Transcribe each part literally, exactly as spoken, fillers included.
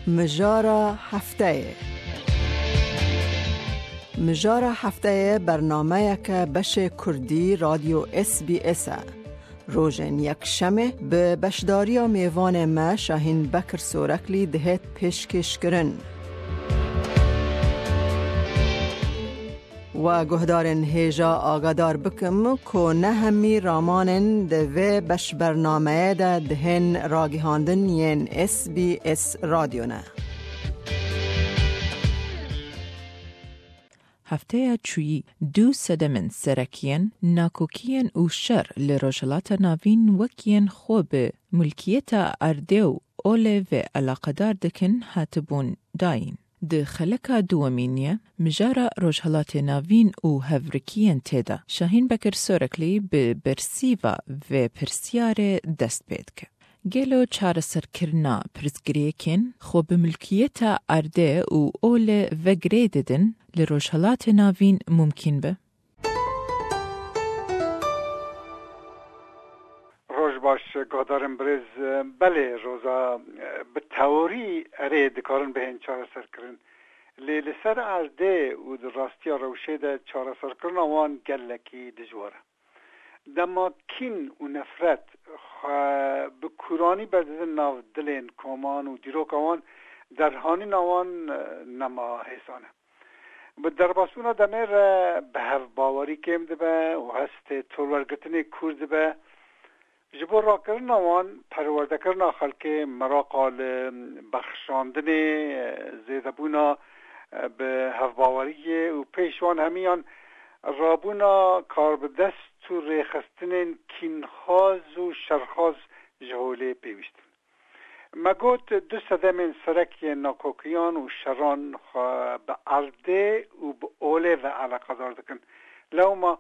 Mijara hefteyê. Mijara hefteyê bernameyeke beşê kurdî Radyo S B S e. Rojên yekşemê bi beşdariya mêvanê me Şahîn Bekir Soreklî dihêt pêşkêşkirin. We guhdarên hêja agadar bikim ku ne hemî ramanên di vê beşbernameyê de dihên ragihandin yên S B S Radyo ne. Hefteya çûyî du sedemên serek yên nakokiyên û şer li Rojhilata Navîn wek yên xwe bi mulkiyeta erdê û olê ve eleqedar dikin hatibûn dayîn. Di xeleka duwemîn ye, mijara Rojhelatê Navîn û hevrikiyên tê de. Şahîn Bekir Soreklî bi bersîva vê pirsyarê dest pê dike. Gelo çareserkirina pirsgirêkên xwe bi milkiyeta erdê û olê ve girê didin li Rojhelatê Navîn mumkîn be? Roj baş, guhdarên birêz. Belê, Roza, bi teorî erê dikarin bihên çareserkirin. Lê li ser erdê û di rastiya rewşê de çareserkirina wan gelekî dijwar e. Dema kîn û nefret xwe bi kûranî berdidin nav dilên koman û dîroka wan, derhanîna wan, e, nema hêsan e. Bi derbasbûna demê re bi hev bawerî kêm dibe û hestê torwergirtinê kûr dibe. Ji bo rakirina wan, perwerdekirina xelkê, meraqa li bexşandinê, zêdebûna bi hevbaweriyê û pêş wan hemiyan rabûna karbidest û rêxistinên kînxwaz û şerxwaz ji holê pêwîst in. Me got, du sedemên serek yên nakokiyan û şeran xwe bi erdê û bi olê ve eleqedar dikin. Lewma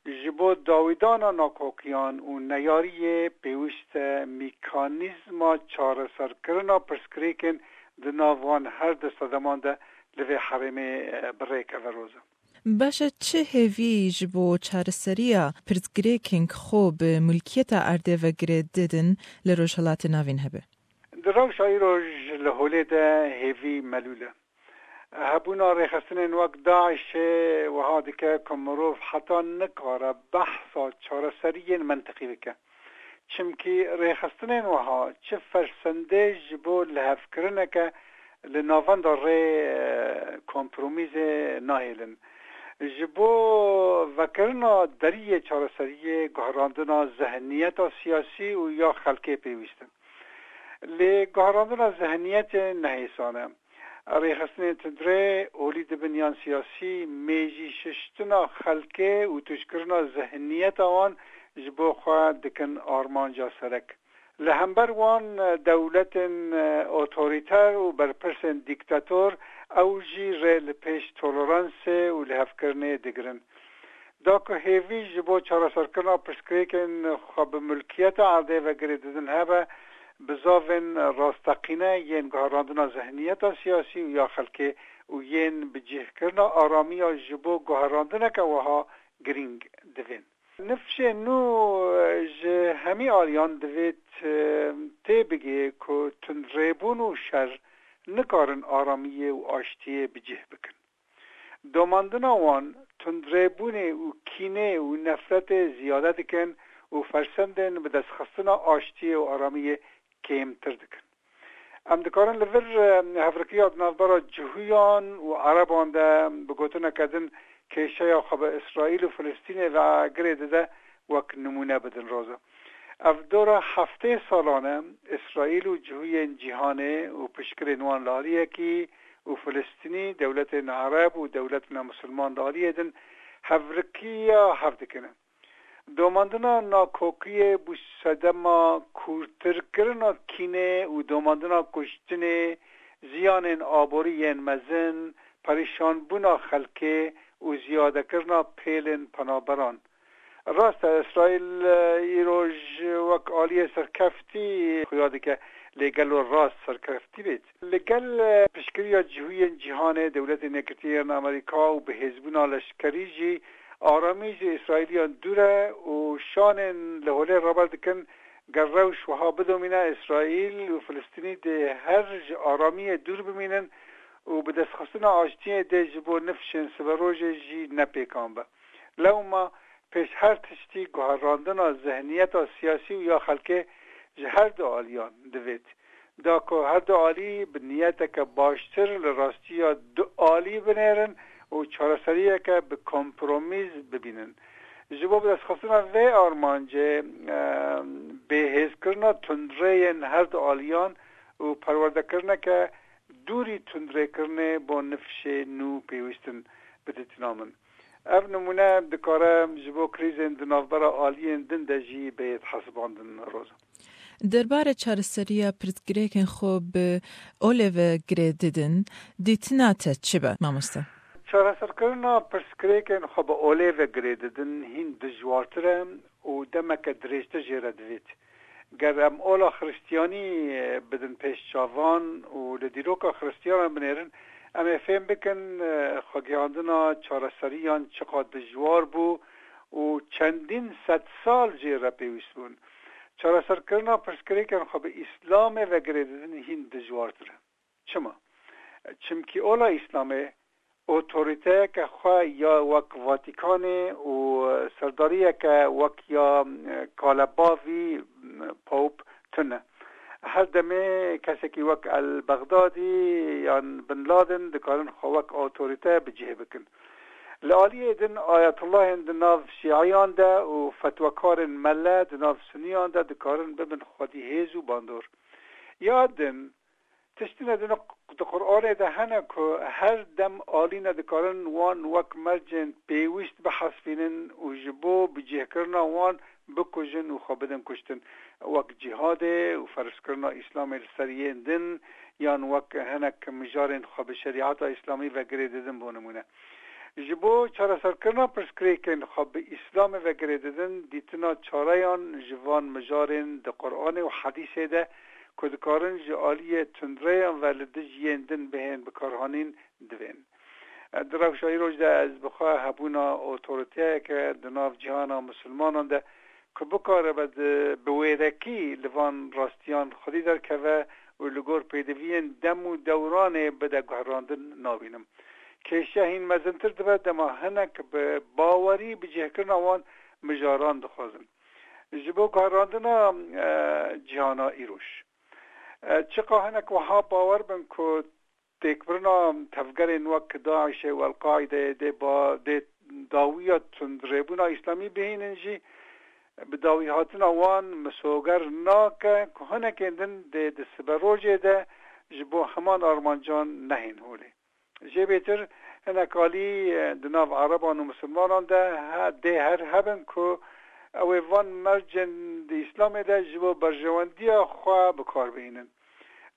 ji bo dawîdana nakokiyan û neyariyê pêwîst e mîkanîzma çareserkirina pirsgirêkên di nav wan her du sedeman de li vê herêmê, e, bi rê keve, Roza. Baş e, çi hêvî ji bo çareseriya pirsgirêkên xwe bi mulkiyeta erdê ve girê didin li Rojhilatê Navîn hebe? Di rewşa îro ji li holê de hêvî melûl e. Hebûna rêxistinên wek DAIŞê wiha dike ku mirov heta nikare behsa çareseriyên mentiqî bike. Çimkî rêxistinên wiha çi fersendê ji bo lihevkirineke li navenda rê, e, kompromîzê nahêlin. Ji bo vekirina deriyê çareseriyê, guherandina zihniyeta siyasî û ya xelkê pêwîst in. Lê guherandina zihniyetê nehêsan e. Rêxistinên tundrê olî dibin yan siyasî, mêjî şiştina xelkê û tûjkirina zihniyeta wan ji bo xwe dikin armanca serek. Li hember wan dewletên otorîter û berpirsên dîktator, ew jî rê li pêş toleransê û lihevkirinê digirin. Da ku hêvî ji bo çareserkirina pirsgirêkên xwe bi mulkiyeta erdê ve girê didin hebe, bizavên rasteqîne yên guherandina zihniyeta siyasî û ya xelkê û yên bicihkirina aramiya ji bo guherandineke wiha girîng divên. Nifşên nû ji hemî aliyan divêt, e, tê bigê ku tundrêbûn û şer nikarin aramiyê û aştiyê bi cih bikin. Domandina wan tundrêbûnê û kînê û nefretê ziyade dikin û fersendên bi destxistina aştiyê û aramiyê kêmtir dikin. Em dikarin li vir, e, hevrikiya di navbera Cihûyan û Ereban de bi gotineke din kêşeya xwe bi Îsraîl û Filistînê ve girê dide wek nimûne bidin, Roza. Ev dora heftê salan e Îsraîl û cihûyên cîhanê û piştgirên wan li aliyekî û Filistînî, dewletên Ereb û dewletên Misilman li aliyê din hevrikiya hev dikine. Domandina nakokiyê bû sedema kûrtirkirina kînê û domandina kuştinê, ziyanên aborî yên mezin, perîşanbûna xelkê û ziyadekirina pêlên penaberan. Rast e, Îsraîl, e, îroj wek aliyê serkeftî xuya dike, lê gelo rast serkeftî bêt? Li gel, e, piştgiriya cihûyên cîhanê, Dewletên Yekgirtî yên Amerîka û bihêzbûna leşkerî jî Aramî ji Îsraîliyan dûr e û şanên li holê raber dikin, ger rewş wiha bidomîne, Îsraîl û Filistînî dê her ji aramiyê dûr bimînin û bi destxistina aştiyê dê ji bo nifşên siberojê jî ne pêkan be. Lewma pêş her tiştî guherandina zihniyeta siyasî û ya xelkê ji her du aliyan divêt. Da ku her du alî bi niyeteke baştir li rastiya du alî binêrin û çareseriyeke bi kompromîs bibînin. Ji bo bidestxistina vê armancê, e, bêhêzkirina tundrêyên her du aliyan û perwerdekirineke dûrî tundrêkirinê bo nifşê nû pêwîst in, bi dîtina min. Ev nimûne dikare ji bo krîzên di navbera aliyên din de jî bêt hesibandin, Roza. Derbarê çareseriya pirsgirêkên xwe bi olê ve girê didin, dîtina te çi be, mamoste? Çareserkirina pirsgirêkên xwe bi olê ve girê didin hîn dijwartir e û demeke dirêjtir jê re divêt. Ger em ola Xristiyanî bidin pêş çavan û li dîroka Xristiyanan binêrin, em ê fêm bikin, e, xwegihandina çareseriyan çiqas dijwar bû û çendîn sedsal jê re pêwîst bûn. Çareserkirina pirsgirêkên xwe bi Îslamê ve girê didin hîn dijwartir e. Çima? Çimkî ola Îslamê otoriteyeke xwe ya wek Vatikanê û serdariyeke wek ya, e, kalebavî, e, Pope tune. Her demê kesekî wek El-Bexdadî yan Bin Laden dikarin xwe wek otorite bi cih bikin. Li aliyê din ayetollahên di nav şîiyan de û fetwekarên mele di nav suniyan de dikarin bibin xwedî hêz û bandor. Ya din, tiştine din di Qur'anê de hene ku her dem alîne dikarin wan wek mercên pêwîst bihesibînin û ji bo bicihkirina wan bikujin û xwe bidin kuştin, wek cîhadê û ferzkirina Îslamê li ser yên din, yan wek hinek mijarên xwe bi şerîeta Îslamî ve girê didin, bo nimûne. Ji bo çareserkirina pirsgirêkên xwe bi Îslamê ve girê didin, dîtina çareyan ji van mijarên di Qur'anê û Hedîsê de ku dikarin ji aliyê tundreyan ve li dij yên din bihên bikarhanîn, divên. Di rewşa îroj de ez bi xwe hebûna otoriteyeke di nav cîhana misilmanan de ku bikaribe di, bi wêrekî li van rastiyan xwedî derkeve û li gor pêdiviyên dem û dewranê bide guherandin nabînim. Kêşe hîn mezintir dibe dema hinek bi bawerî bicihkirina wan mijaran dixwazin. Ji bo guherandina, e, cîhana îroj. E, çiqa hinek wiha bawer bin ku têkbirina tevgerên wek DAIŞê û El-Qaîdeyê dê ba-, dê dawiya tundrêbûna Îslamî bihînin jî, bi dawîhatina wan misoger nake ku hinekên din dê di siberojê de ji bo heman armancan nehên holê. Jê bêtir hinek alî, e, di nav Ereban û Misilmanan de he-, dê her hebin ku ew ê van mercên di Îslamê de ji bo berjewendiya xwe bi kar bihînin.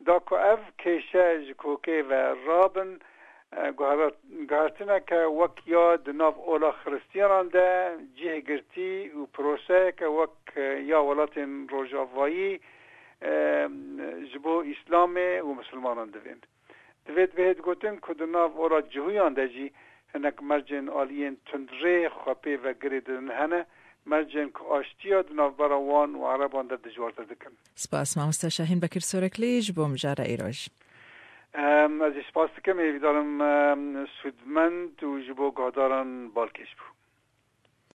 Da ku ev kêşe ji kokê ve rabin, e, guhera-, guhertineke wek ya di nav ola Xiristiyanan de cih girtî û proseyeke wek, e, ya welatên Rojavayî, e, ji bo Îslamê û Misilmanan divên. Divêt bihêt gotin ku di nav ola cihûyan de jî hinek mercên aliyên tundrê xwe pê ve girê didin hene, mercên ku aştiya di navbera wan û Ereban de dijwartir dikin. Spas, mamoste Şahîn Bekir Soreklî, ji bo mijara îroj. Em, ez jî spas dikim, hêvîdar im, em, sûdmend û ji bo guhdaran balkêş bû.